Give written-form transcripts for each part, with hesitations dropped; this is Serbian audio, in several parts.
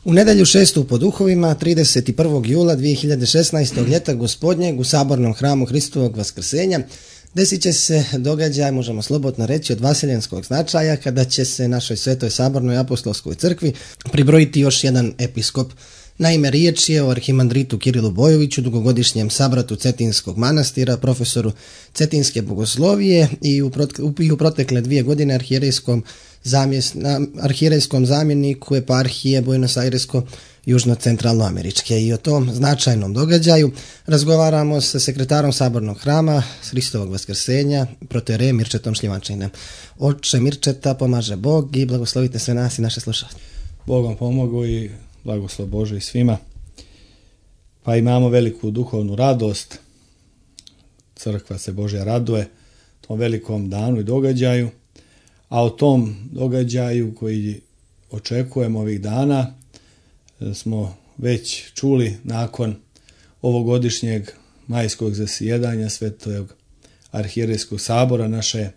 U nedjelju 6. po duhovima, 31. jula 2016. ljeta gospodnjeg u Sabornom hramu Hristovog Vaskrsenja desit će se događaj, možemo slobodno reći, od vaseljenskog značaja, kada će se našoj Svetoj Sabornoj apostolskoj crkvi pribrojiti još jedan episkop. Naime, riječ je o arhimandritu Kirilu Bojoviću, dugogodišnjem sabratu Cetinskog manastira, profesoru Cetinske bogoslovije i u protekle 2 godine arhijerejskom zamjeniku eparhije Buenos Airesko južno-centralnoameričke. I o tom značajnom događaju razgovaramo sa sekretarom Sabornog hrama Hristovog Vaskrsenja, protoijerejem Mirčetom Šljivančaninom. Oče Mirčeta, pomaže Bog i blagoslovite sve nas i naše slušatelje. Bogom pomogu i blagoslov Bože i svima. Pa imamo veliku duhovnu radost. Crkva se Božja raduje tom velikom danu i događaju. A o tom događaju koji očekujemo ovih dana smo već čuli nakon ovogodišnjeg majskog zasjedanja Svetog arhijerejskog sabora naše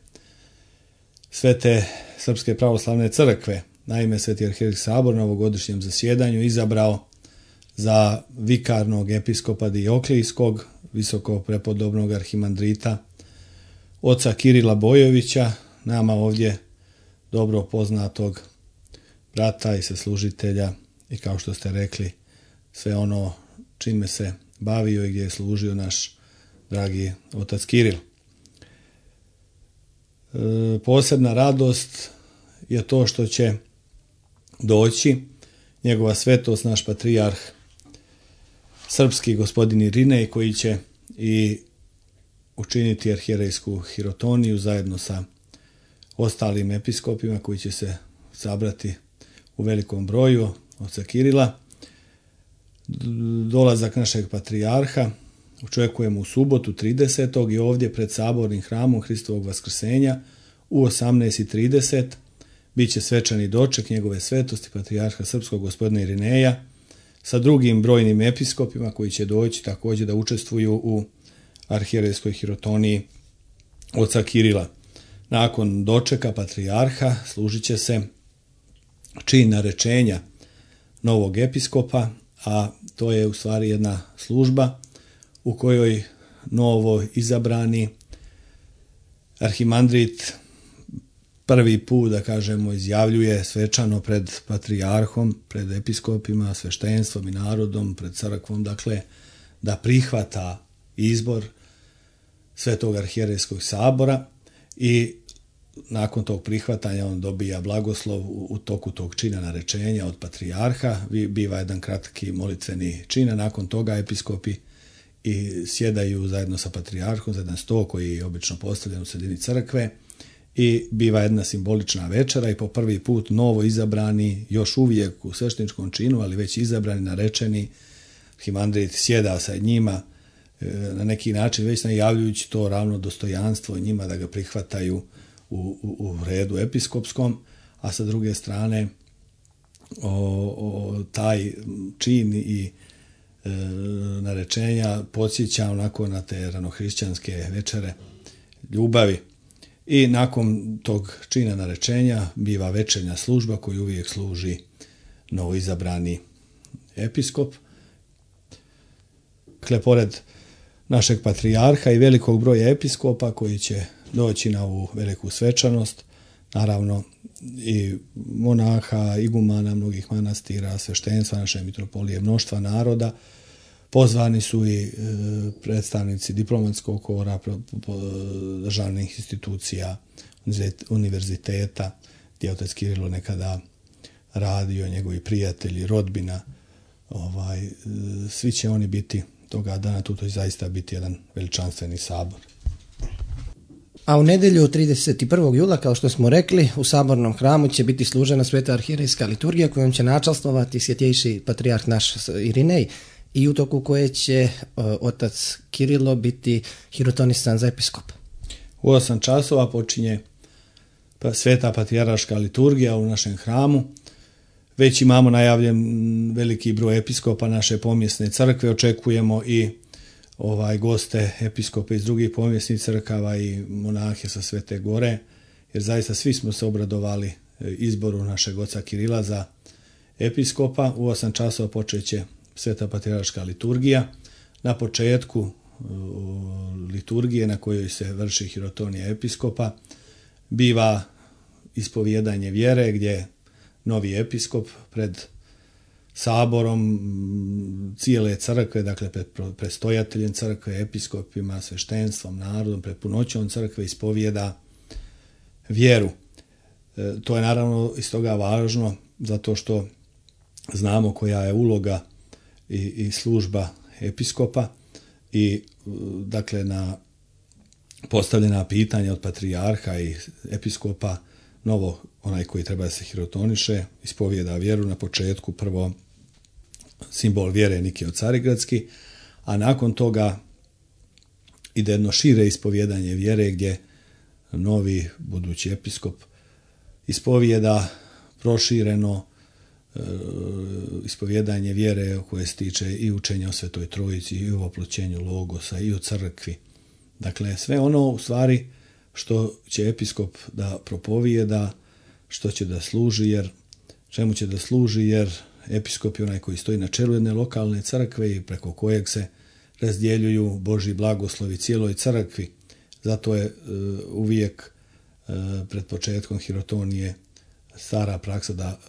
Svete Srpske pravoslavne crkve. Naime, Sveti arhijerejski sabor na ovogodišnjem zasjedanju izabrao za vikarnog episkopa Dioklijskog, visoko prepodobnog arhimandrita, oca Kirila Bojovića, nama ovdje dobro poznatog brata i saslužitelja i, kao što ste rekli, sve ono čime se bavio i gdje je služio naš dragi otac Kiril. Posebna radost je to što će doći njegova svetost, naš patrijarh srpski gospodin Irinej, koji će i učiniti arhijerejsku hirotoniju zajedno sa ostalim episkopima koji će se sabrati u velikom broju oca Kirila. Dolazak našeg patrijarha očekujemo u subotu 30. i ovdje pred Sabornim hramom Hristovog Vaskrsenja u 18:30. Biće svečani doček njegove svetosti patrijarha srpskog gospodina Irineja sa drugim brojnim episkopima koji će doći također da učestvuju u arhijerejskoj hirotoniji oca Kirila. Nakon dočeka patrijarha služit će se čin narečenja novog episkopa, a to je u stvari jedna služba u kojoj novo izabrani arhimandrit prvi put, da kažemo, izjavljuje svečano pred patrijarhom, pred episkopima, sveštenstvom i narodom, pred crkvom, dakle, da prihvata izbor Svetog arhijerejskog sabora i nakon tog prihvatanja on dobija blagoslov u toku tog čina narečenja od patrijarha. Biva jedan kratki molitveni čin, a nakon toga episkopi i sjedaju zajedno sa patrijarhom za jedan sto koji je obično postavljen u sredini crkve i biva jedna simbolična večera i po prvi put novo izabrani, još uvijek u svešteničkom činu, ali već izabrani, narečeni arhimandrit sjeda sa njima, na neki način već najavljujući to ravno dostojanstvo njima da ga prihvataju u redu episkopskom, a sa druge strane taj čin i narečenja podsjeća onako na te ranohrišćanske večere ljubavi. I nakon tog čina narečenja biva večernja služba koju uvijek služi novoizabrani episkop. Dakle, pored našeg patrijarha i velikog broja episkopa koji će doći na ovu veliku svečanost, naravno i monaha, igumana mnogih manastira, sveštenstva naše mitropolije, mnoštva naroda, pozvani su i predstavnici diplomatskog kora, državnih institucija, univerziteta, gdje je otac Kirilo nekada radio, njegovi prijatelji, rodbina, svi će oni biti toga dana, tu to zaista biti jedan veličanstveni sabor. A u nedjelju 31. jula, kao što smo rekli, u Sabornom hramu će biti služena Sveta arhijerejska liturgija kojom će načastvovati svjetejši patrijarh naš Irinej i u toku koje će otac Kirilo biti hirotonisan za episkopa. U 8 časova počinje Sveta patrijarhaška liturgija u našem hramu. Već imamo najavljen veliki broj episkopa naše pomjesne crkve, očekujemo i goste episkope iz drugih pomjesnih crkava i monahe sa Svete Gore, jer zaista svi smo se obradovali izboru našeg oca Kirila za episkopa. U 8 časova počeće sveta patrijarška liturgija. Na početku liturgije na kojoj se vrši hirotonija episkopa biva ispovijedanje vjere, gdje novi episkop pred saborom cijele crkve, dakle pred predstojateljem crkve, episkopima, sveštenstvom, narodom, pred punoćom crkve ispovijeda vjeru. To je naravno iz toga važno zato što znamo koja je uloga i služba episkopa i dakle na postavljena pitanja od patrijarha i episkopa novo onaj koji treba da se hirotoniše ispovijeda vjeru na početku prvo simbol vjere Nikio Carigradski, a nakon toga ide jedno šire ispovjedanje vjere gdje novi budući episkop ispovijeda prošireno ispovjedanje vjere koje se tiče i učenja o Svetoj Trojici i o oploćenju Logosa i o crkvi. Dakle, sve ono u stvari što će episkop da propovijeda, što će da služi, čemu će da služi, jer episkop je onaj koji stoji na čelu jedne lokalne crkve i preko kojeg se razdjeljuju Božji blagoslovi cijeloj crkvi. Zato je uvijek pred početkom hirotonije stara praksa da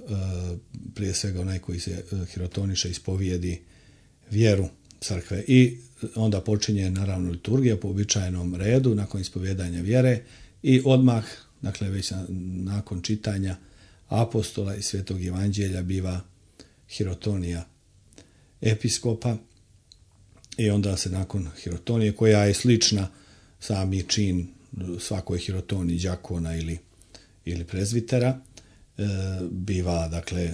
prije svega onaj koji se hirotoniše ispovijedi vjeru crkve i onda počinje naravno liturgija po uobičajenom redu nakon ispovjedanja vjere i odmah, dakle već nakon čitanja apostola i Svetog Evanđelja biva hirotonija episkopa i onda se nakon hirotonije, koja je slična sami čin svakoj hirotoniji đakona ili prezvitera, biva, dakle,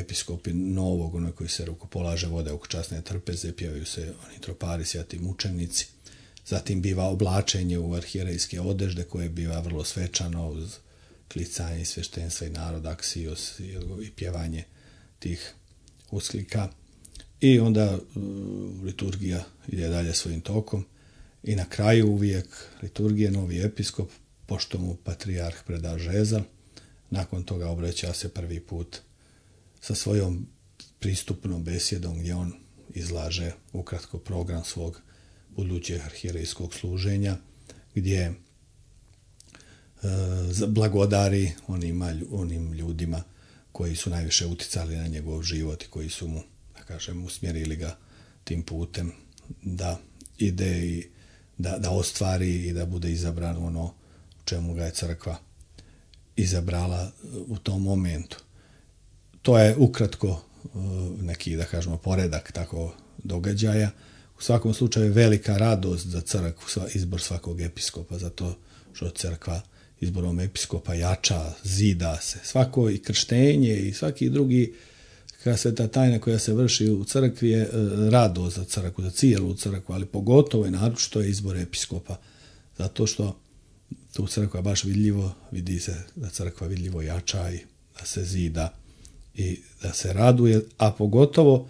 episkopi novog, onaj koji se rukopolaže, vode oko časne trpeze, pjevaju se oni tropari, svjati mučenici. Zatim biva oblačenje u arhijerejske odežde, koje biva vrlo svečano uz klicanje sveštenstva i narod, aksijos i pjevanje tih usklika. I onda liturgija ide dalje svojim tokom i na kraju uvijek liturgije novi episkop, pošto mu patrijarh preda žezal, nakon toga obraća se prvi put sa svojom pristupnom besjedom gdje on izlaže ukratko program svog budućeg arhijerejskog služenja, gdje blagodari onim ljudima koji su najviše uticali na njegov život i koji su mu, da kažem, usmjerili ga tim putem da ide i da ostvari i da bude izabran ono u čemu ga je crkva izabrala u tom momentu. To je ukratko neki, da kažemo, poredak tako događaja. U svakom slučaju velika radost za crkvu, izbor svakog episkopa, zato što crkva izborom episkopa jača, zida se. Svako i krštenje i svaki drugi sveta tajna koja se vrši u crkvi je radost za crkvu, za cijelu crkvu, ali pogotovo i naročito je izbor episkopa, zato što tu crkva baš vidljivo, vidi se da crkva vidljivo jača i da se zida i da se raduje, a pogotovo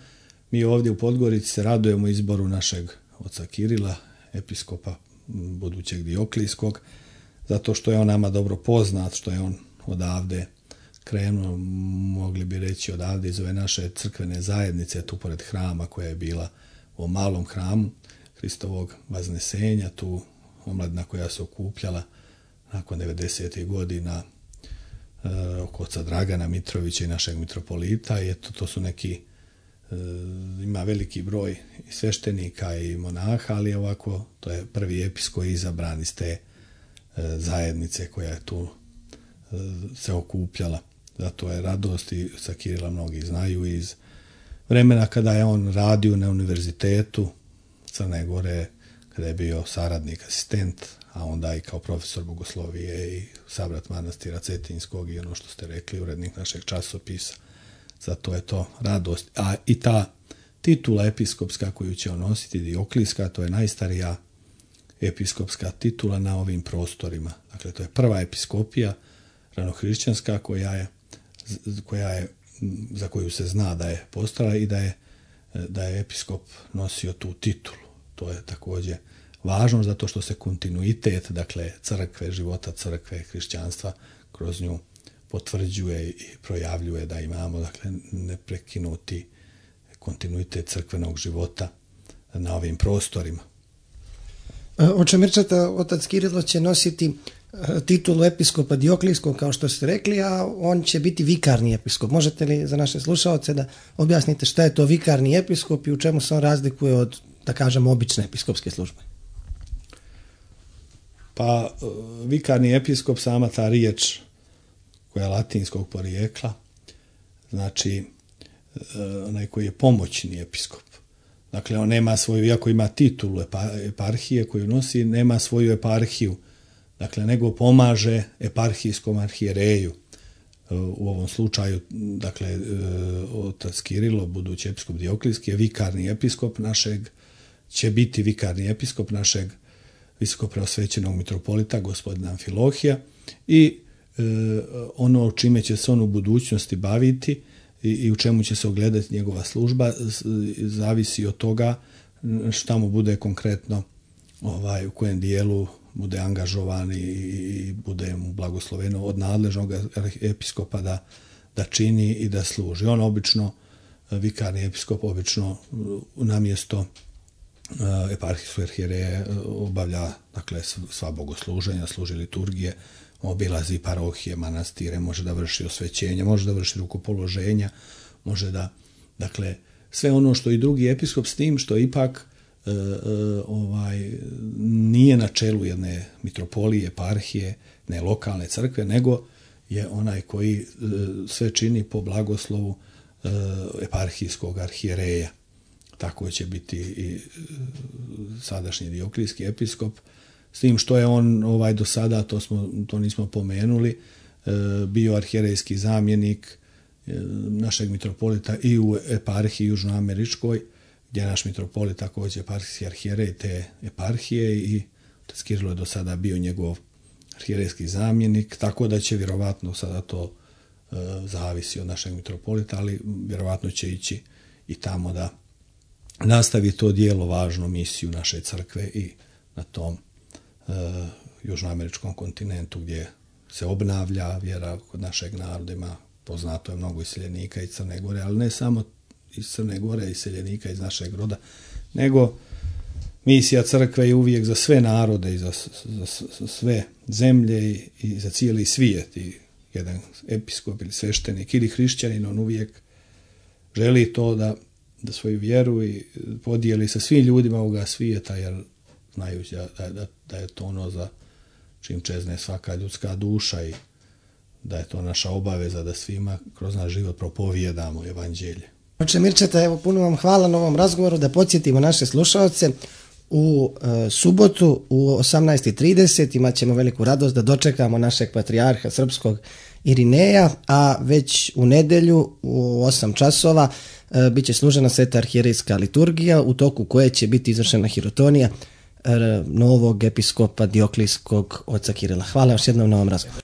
mi ovdje u Podgorici se radujemo izboru našeg oca Kirila, episkopa budućeg Dioklijskog, zato što je on nama dobro poznat, što je on odavde krenuo, mogli bi reći odavde iz ove naše crkvene zajednice, tu pored hrama koja je bila u malom hramu Hristovog Vaznesenja, tu omladina koja se okupljala nakon 90. godina oko oca Dragana Mitrovića i našeg mitropolita i eto, to su neki, ima veliki broj i sveštenika i monaha, ali ovako, to je prvi episkop izabran iz te zajednice koja je tu se okupljala. Zato je radost i sa Kirila mnogi znaju iz vremena kada je on radio na univerzitetu Crne Gore, kada je bio saradnik, asistent, a onda i kao profesor bogoslovije i sabrat manastira Cetinskog i ono što ste rekli, urednik našeg časopisa. Zato je to radost. A i ta titula episkopska koju će on nositi, Dioklijska, to je najstarija episkopska titula na ovim prostorima. Dakle, to je prva episkopija ranohrišćanska za koju se zna da je postojala i da je episkop nosio tu titulu. To je također važno zato što se kontinuitet, dakle, crkve, života crkve, hrišćanstva kroz nju potvrđuje i projavljuje da imamo, dakle, neprekinuti kontinuitet crkvenog života na ovim prostorima. Oče Mirčeta, otac Kirilo će nositi titulu episkopa Dioklijskog, kao što ste rekli, a on će biti vikarni episkop. Možete li za naše slušaoce da objasnite šta je to vikarni episkop i u čemu se on razlikuje od, da kažemo, obične episkopske službe? Pa, vikarni episkop, sama ta riječ koja je latinskog porijekla, znači onaj koji je pomoćni episkop. Dakle, on nema svoju, iako ima titulu eparhije koju nosi, nema svoju eparhiju, dakle, nego pomaže eparhijskom arhijereju. U ovom slučaju, dakle, otac Kirilo, budući episkop Dioklijski, je vikarni episkop našeg, će biti vikarni episkop našeg visokopreosvećenog mitropolita, gospodina Amfilohija, i ono čime će se on u budućnosti baviti i u čemu će se ogledati njegova služba, zavisi od toga šta mu bude konkretno, u kojem dijelu bude angažovan i bude mu blagosloveno od nadležnog episkopa da čini i da služi. On obično, vikarni episkop, obično namjesto eparhijskog arhijereja obavlja, dakle, sva bogosluženja, služi liturgije, obilazi parohije, manastire, može da vrši osvećenje, može da vrši rukopoloženja, može da, dakle, sve ono što i drugi episkop, s tim što ipak nije na čelu jedne mitropolije, eparhije, ne lokalne crkve, nego je onaj koji sve čini po blagoslovu eparhijskog arhijereja. Tako će biti i sadašnji dioklijski episkop, s tim što je on do sada, to nismo pomenuli, bio arhijerejski zamjenik našeg mitropolita i u eparhiji južnoameričkoj, gdje je naš mitropolit također eparhijski arhijerej te eparhije i otac Kirilo je do sada bio njegov arhijerejski zamjenik, tako da će vjerovatno sada to zavisi od našeg mitropolita, ali vjerovatno će ići i tamo da nastavi to dijelo, važnu misiju naše crkve i na tom južnoameričkom kontinentu gdje se obnavlja vjera kod našeg naroda. Ima, poznato je mnogo iseljenika iz Crne Gore, ali ne samo iz Crne Gore, iseljenika iz našeg roda, nego misija crkve je uvijek za sve narode i za sve zemlje i za cijeli svijet. I jedan episkop ili sveštenik ili hrišćanin, on uvijek želi to da svoju vjeru i podijeli sa svim ljudima ovoga svijeta, jer znajući da je to ono za čim čezne svaka ljudska duša i da je to naša obaveza da svima kroz naš život propovijedamo evanđelje. Oče Mirčeta, evo, puno vam hvala na ovom razgovoru, da podsjetimo naše slušaoce. U subotu u 18:30 imat ćemo veliku radost da dočekamo našeg patrijarha srpskog Irineja, a već u nedjelju u 8 časova bit će služena sveta arhijerejska liturgija, u toku koje će biti izvršena hirotonija novog episkopa Dioklijskog oca Kirila. Hvala još jednom na ovom razgovoru.